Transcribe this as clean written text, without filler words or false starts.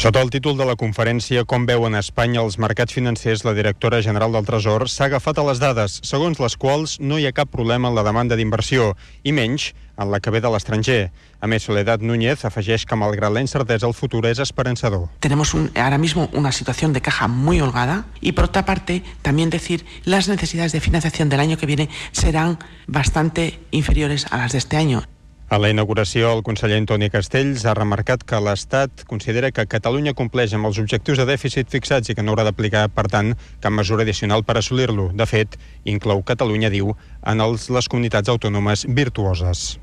Sota el títol de la conferència Com veuen a Espanya els mercats financers, la directora general del Tresor s'ha agafat a les dades, segons les quals no hi ha cap problema en la demanda d'inversió, i menys en la que ve de l'estranger. A més, Soledad Núñez afegeix que, malgrat la incertesa, el futur és esperançador. Tenemos ahora mismo una situación de caja muy holgada y, por otra parte, también decir las necesidades de financiación del año que viene serán bastante inferiores a las de este año. A la inauguració, el conseller Antoni Castells ha remarcat que l'Estat considera que Catalunya compleix amb els objectius de dèficit fixats i que no haurà d'aplicar, per tant, cap mesura addicional per assolir-lo. De fet, inclou Catalunya, diu, en les comunitats autònomes virtuoses.